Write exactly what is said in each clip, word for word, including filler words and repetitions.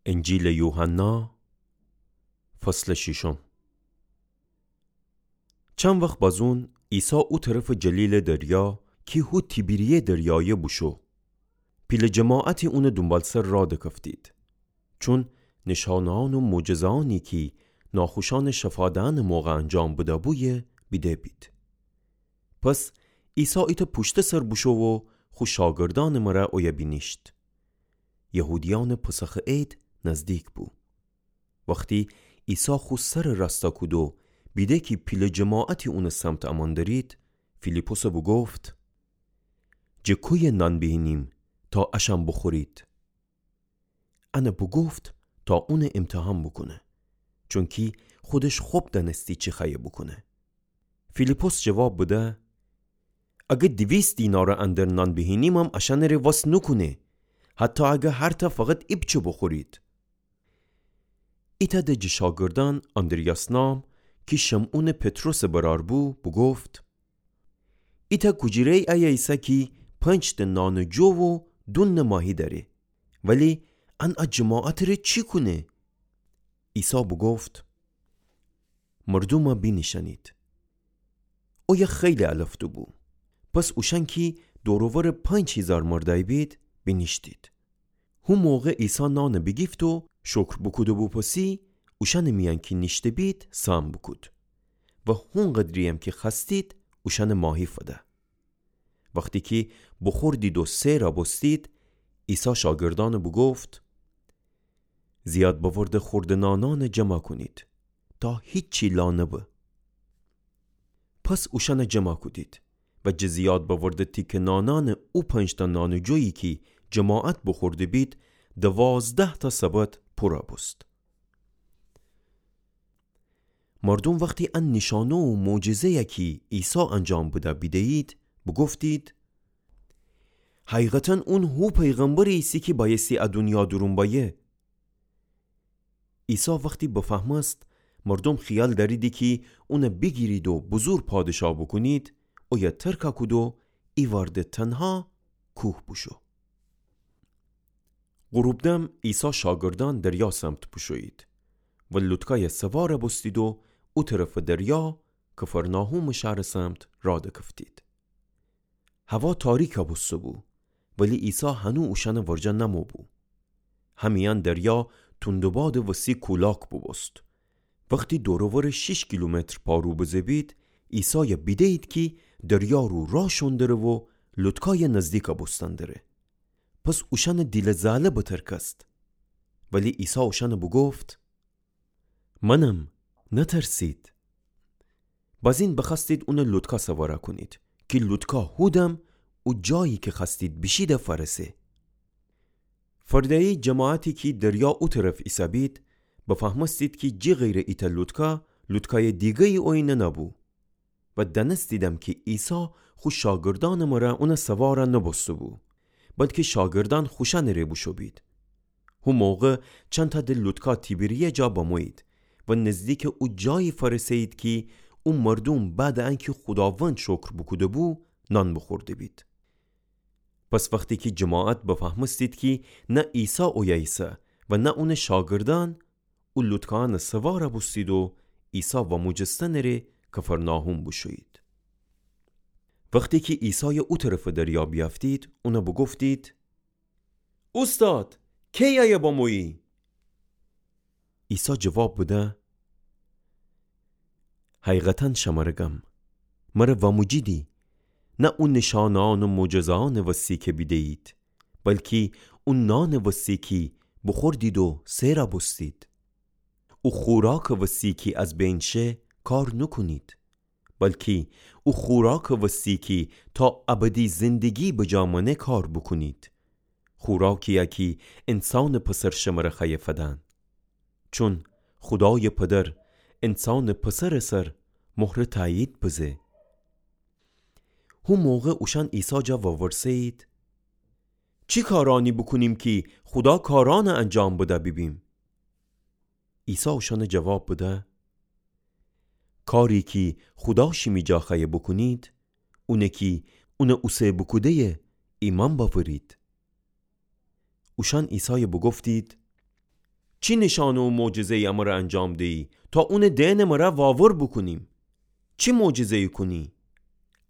انجیلٚ یوحنا، فصلٚ شیشم. چند وخت بازون عیسی او طرفٚ جلیلٚ دریا کی هو تیبریه دریایه بوشو، پیله جماعتی اونٚ دونبالسر راه دکفتید، چون نشانه‌یأن و معجزه‌یأنی کی ناخوشأنٚ شفا دئنٚ موقع انجام بده‌بویه بیده بید. پس عیسی ایتأ پوشتٚ سر بوشو و خو شاگردأنٚ مره اویه بینیشت. یهودیأنٚ پسخٚ عید نزدیک بو. وختی عیسی خو سرٚ راستا کود و بیده کی پیله جماعتی اونٚ سمت امأن درید، فیلیپسه بوگفت: جٚه کویه نان بیهینیم تا اشأن بوخورید؟ انه بوگفت تا اونٚ امتحان بوکونه، چونکی خودش خب دأنستی چی خوأیه بوکونه. فیلیپس جواب بده: اگه دیویست دینارٚ اندر نان بیهینیمم اشأنٚ ره وس نوکونه، حتی اگه هر تأ فقط ایپچه بوخورید. ایتأ ده جٚه شاگردأن، آندریاس نام، کی شمعونٚ پطرسٚ برأر بو، بوگفت: ایتأ کوجیره‌یی ایه ایسه کی پنج‌تأ نانٚ جو و دونٚ ماهی دأره، ولی ان ا جماعتٚ ره چی کونه؟ عیسی بوگفت: مردومه بینیشأنید. اویه خیلی الفته‌بو. پس اوشأن کی دور و ورٚ پنج هیزار مردأی بید، بینیشتید. هو موقع عیسی نانه بیگیفت و شکر بوکوده بو پسی، اوشأنٚ میأن کی نیشته بید سهم بوکود و هونقدرییم کی خوأستید اوشأنه ماهی فده. وختی کی بوخوردید و سئرَ بوستید، عیسی شاگردأنه بوگفت: زیاد بأورده خوردٚ نانأنه جمع کونید تا هیچی لا نبه. پس اوشأنه جمع کودید و جٚه زیاد بأورده تیکه نانأنٚ او پنج‌تأ نانٚ جویی کی جماعت بوخورده بید، دوازده‌تأ سبد پورَ بوست. مردوم وختی ان نیشأنه و معجزه‌یَ کی عیسی انجام بده بیده‌یید، بوگفتید: حقیقتاً اون هو پیغمبری ایسه کی بأیستی ا دونیا دورون بأیه. عیسی وختی بفهمست مردوم خیال دأریدی کی اونه بیگیرید و بوزور پادشاه بوکونید، اویه ترکَ کود و ایوأرده تنها کوه بوشو. غروب دم عیسی شاگردأن دریا سمت بوشویید و لوتکایَ سوارَ بوستید و او طرفٚ دریا، کفرناحومٚ شهرٚ سمت راه دکفتید. هوا تاریکَ بوسته‌بو، ولی عیسی هنو اوشأنٚ ورجه نمو بو. همیأن دریا توندٚ بادٚ وسی کولاک بوبوست. وختی دور و ورٚ شیش کیلومتر پارو بزه‌بید، عیسایَ بیده‌یید کی دریا رو راه شون دره و لوتکایَ نزدیکَ بوستن دره. پس اوشأنٚ دیلٚ زاله بترکست. ولی عیسی اوشأنَ بوگفت: منم، نترسید. بازین بخوأستید اونَ لوتکا سوارَ کونید کی لوتکا هودم او جایی کی خوأستید بیشیدَ فأرسه. فرده‌یی جماعتی کی دریا او طرف ایسه‌بید، بفهمستید کی جی غیرٚ ایتأ لوتکا، لوتکایٚ دیگه‌یی اوینه نبو. و دأنستیدم کی عیسی خو شاگردأنٚ مره اونَ سوارَ نوبوسته‌بو، بلکی شاگردأن خوشأنٚ ره بوشو بید. هو موقع چندتأ د لوتکا تیبریه جا بمویید و نزدیکٚ او جایی فأرسه‌یید کی او مردوم بعدٚ انکی خوداوند شکر بوکوده‌بو، نان بوخورده‌بید. پس وختی کی جماعت بفهمستید کی نه عیسی اویه ایسه و نه اونٚ شاگردأن، او لوتکانٚ سوارَ بوستید و عیسی واموجستنٚ ره کفرناحوم بوشویید. وختی کی عیسایَ او طرفٚ دریا بیأفتید، اونَ بوگفتید: اوستاد، کی ایه بمویی؟ عیسی جواب بده: حقیقتاً شمره گم، مره واموجیدی، نه او نشانه‌یأن و معجزه‌یأنٚ وسی کی بیده‌یید، بلکی او نانٚ وسی کی بوخوردید و سئرَ بوستید. او خوراکٚ وسی کی از بین شه کار نوکونید، بلکی او خوراکٚ وسی کی تا ابدی زندگی بجا مأنه کار بوکونید. خوراکی‌یَ کی انسانٚ پسر شمره خوأیه فدن. چون خودایٚ پدر انسانٚ پسرٚ سر مهرٚ تأیید بزه. هو موقع اوشأن عیسی جا وورسه‌یید: چی کارأنی بوکونیم کی خودا کارأنَ انجام بده بیبیم؟ عیسی اوشأنَ جواب بده: کاری کی خودا شیمی جا خوأیه بوکونید، اونه کی اونَ اوسه بوکوده‌یه ایمأن بأورید. اوشأن عیسایَ بوگفتید: چی نشأنه و معجزه‌یی امره انجام دیی تا اونٚ دئنٚ مره واور بوکونیم؟ چی معجزه‌یی کونی؟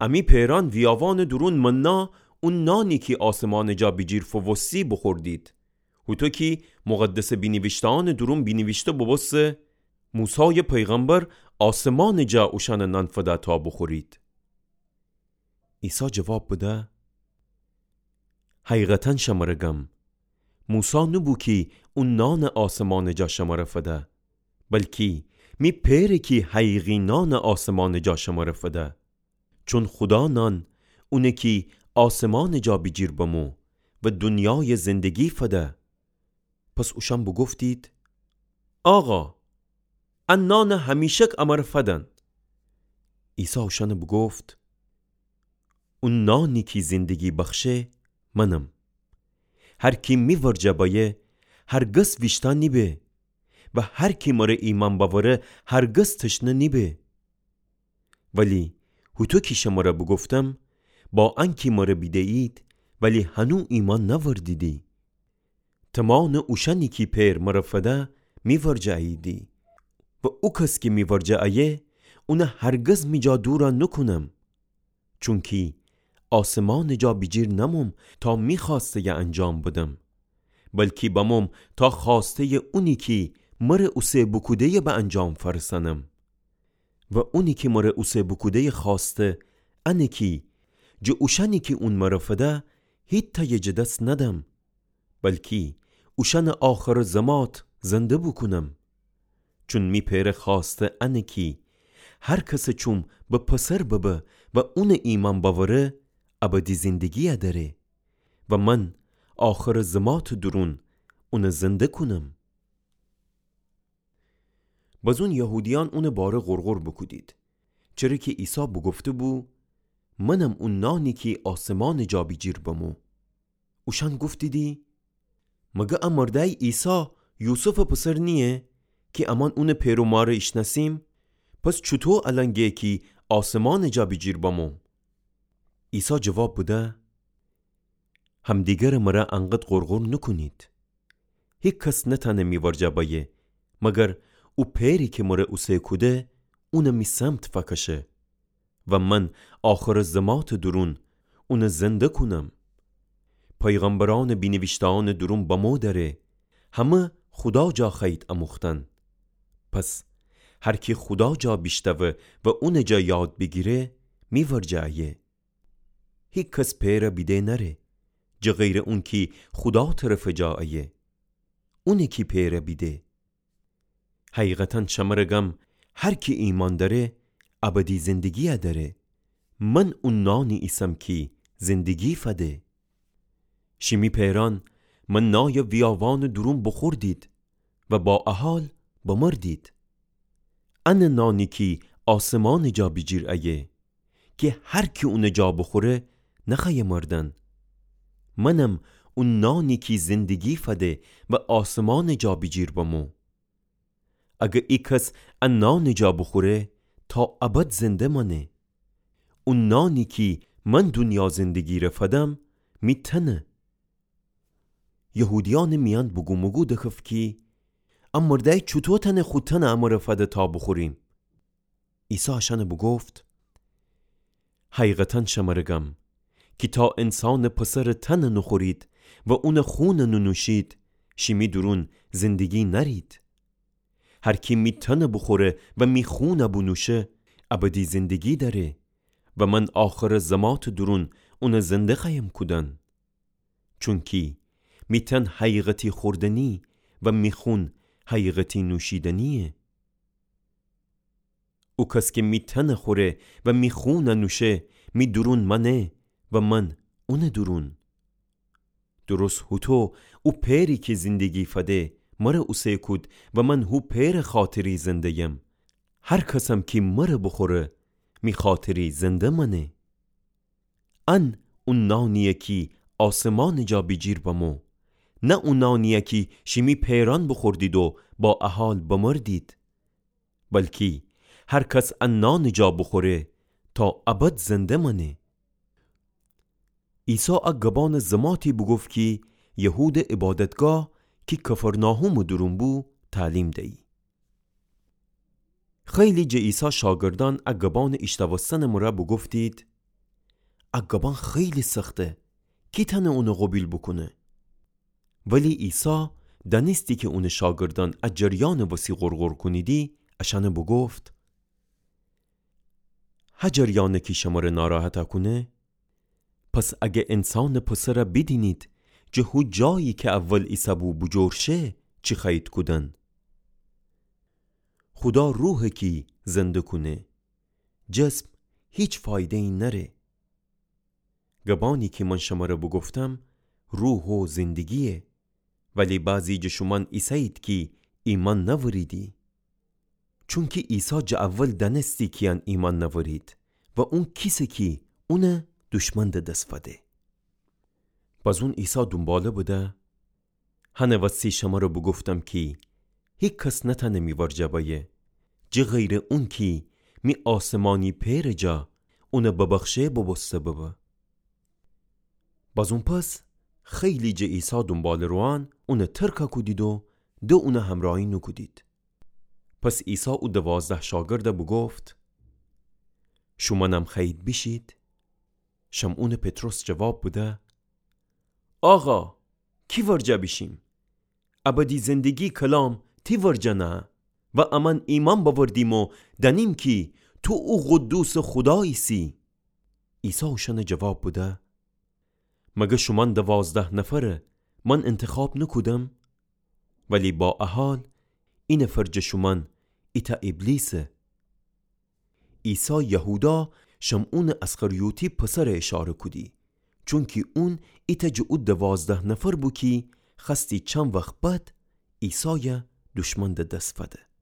امی پئرأن ویاوانٚ دورون منا، او نانی کی آسمانٚ جا بیجیر فووستی، بوخوردید. هوطو کی مقدسٚ بینیویشته‌أنٚ دورون بینیویشته بوبوسته، موسایٚ پیغمبر آسمانٚ جا اوشأنه نان فده تا بوخورید. عیسی جواب بده: حقیقتاً شمره گم، موسی نوبو کی او نانٚ آسمانٚ جا شمره فده، بلکی می پئره کی حقیقی نانٚ آسمانٚ جا شمره فده. چون خودا نان اونه کی آسمانٚ جا بیجیر بمو و دونیایٚ زندگی فده. پس اوشأن بوگفتید: آقا، ا نانه همیشک امره فدن. عیسی اوشأنه بوگفت: او نانی کی زندگی بخشه، منم. هر کی می ورجه بأیه، هرگز ویشتا نیبه، و هر کی مره ایمأن بأوره، هرگز تشنه نیبه. ولی هوطو کی شمره بوگفتم، با انکی مره بیده‌یید، ولی هنو ایمأن نأوردیدی. تمانٚ اوشأنی کی پئر مره فده، می ورجه اییدی. و او کس کی می ورجه ایه، اونه هرگز می جا دورَ نوکونم. چونکی آسمانٚ جا بیجیر نموم تا می خوأسته‌یَ انجام بدم، بلکی بموم تا خوأسته‌یٚ اونی کی مره اوسه بوکوده‌یَ به انجام فأرسأنم. و اونی کی مره اوسه بوکوده‌یٚ خوأسته انه کی جٚه اوشأنی کی اون مره فده هیتأیَ جٚه دس ندم، بلکی اوشأنَ آخرٚ زمات زنده بوکونم. چون می پئرٚ خوأسته انه کی هر کسٚ چوم به پسر ببه و اونَ ایمأن بأوره، ابدی زندگی‌یَ دأره و من آخرٚ زماتٚ دورون اونَ زنده کونم. بزون یهودیأن اونٚ باره غرغر بوکودید، چره کی عیسی بوگفته‌بو: منم او نانی کی آسمانٚ جا بیجیر بمو. اوشأن گفتیدی: مگر ا مردأی عیسی یوسفٚ پسر نییه کی امأن اونٚ پئر و مارَ ایشنأسیم؟ پس چوطو الأن گه کی آسمانٚ جا بیجیر بمو؟ عیسی جواب بده: همدیگرٚ مره انقدر غرغر نوکونید. هیکس نتأنه می ورجه بأیه، مگر او پئری کی مره اوسه کوده اونَ می سمت فأکشه و من آخرٚ زماتٚ دورون اونَ زنده کونم. پیغمبرأنٚ بینیویشته‌أنٚ دورون بمو دأره، همه خودا جا خوأیید اموختن. پس هر کی خودا جا بیشتوه و اونٚ جا یاد بیگیره، می ورجه ایه. هیکس پئرَ بیده نأره، جٚه غیرٚ اونکی خودا طرفٚ جا ایه، اونه کی پئرَ بیده. حقیقتاً شمره گم، هر کی ایمأن دأره، ابدی زندگی‌یَ دأره. من او نانی ایسم کی زندگی فده. شیمی پئرأن منایَ ویاوانٚ دورون بوخوردید و با ا حال بمردید. انه نانی کی آسمانٚ جا بیجیر ایه، کی هر کی اونٚ جا بوخوره نخوأیه مردن. منم او نانی کی زندگی فده و آسمانٚ جا بیجیر بمو. اگر ایکس ا نانٚ جا بوخوره، تا ابد زنده مأنه. او نانی کی من دونیا زندگی‌ره فدم، می تنه. یهودیأنٚ میأن بوگوموگو دکف کی، ا مردأی چوطو تأنه خو تنَ امره فده تا بوخوریم؟ عیسی اشأنَ بوگفت: حقیقتاً شمره گم، کی تا انسانٚ پسرٚ تنَ نوخورید و اونٚ خونَ نونوشید، شیمی دورون زندگی نأرید. هر کی می تنَ بوخوره و می خونَ بونوشه، ابدی زندگی دأره و من آخرٚ زماتٚ دورون اونَ زنده خوأیم کودن. چونکی می تن حقیقتی خوردنی و می خون حقیقتی نوشیدنیه. او کس کی می تنَ خوره و می خونَ نوشه، می دورون مأنه و من اونٚ دورون. درست هوطو او پئری کی زندگی فده مره اوسه کود و من هو پئرٚ خاطری زنده‌یم. هر کسم کی مره بوخوره، می خاطری زنده مأنه. ان او نانییه کی آسمانٚ جا بیجیر بمو، نه او نانییه کی شیمی پئرأن بوخوردید و با ا حال بمردید. بلکی هر کس ا نانٚ جا بوخوره، تا ابد زنده مأنه. عیسی ا گبأنٚ زماتی بوگفت کی یهودٚ عبادتگاه کی کفرناحومٚ دورون بو، تعلیم دیی. خیلی جٚه عیسی شاگردأن ا گبانٚ ایشتوستنٚ مرأ بوگفتید: ا گبان خیلی سخته، کی تأنه اونٚ قوبیل بوکونه؟ ولی عیسی دأنستی کی اونٚ شاگردأن ا جریانٚ وسی غرغر کونیدی، اشأنٚ بوگفت: هه جریانٚ کی شمرأ ناراحتأ کونه؟ پس اگر انسانٚ پسرأ بیدینید جٚه هو جایی کی اول ایسه‌بو بوجور شه، چی خوأیید کودن؟ خودا روحه کی زنده کونه، جسم هیچ فایده‌یی نأره. گبأنی کی من شمرأ بوگفتم، روح و زندگییه، ولی بعضی جٚه شومأن ایسه‌یید کی ایمأن نأوریدی. چونکی عیسی جٚه اول دأنستی کییأن ایمأن نأورید و اون کیسه کی اونأ دوشمن د دس فده. بازون عیسی دونباله بده: هنٚ وسی شمرأ بوگفتم کی هیکس نتأنه می ورجه بأیه، جٚه غیرٚ اونکی می آسمانی پئرٚ جا اونأ ببخشه بوبوسته ببه. بازون پس خیلی جٚه عیسی دونباله‌روئان اونأ ترکأ کودید و د اونأ همرأیی نوکودید. پس عیسی او دوازده شاگردأ بوگفت: شومأنم خوأیید بیشید؟ شمعونٚ پطرس جواب بده: آقا، کی ورجه بیشیم؟ ابدی زندگی کلام تی ورجه نهه و امأن ایمأن بأوردیم و دأنیم کی تو او قدوسٚ خودا ایسی. عیسی اوشأنأ جواب بده: مگر شومأن دوازده نفرأ من انتخاب نوکودم؟ ولی با ا حال، اینفر جٚه شومأن ایتأ ابلیسه. عیسی یهودا شمعونٚ اسخریوطی پسرأ اشاره کودی، چونکی اون ایتأ جٚه او دوازده نفر بو کی خوأستی چند وخت بعد عیسایأ دوشمن د دس فده.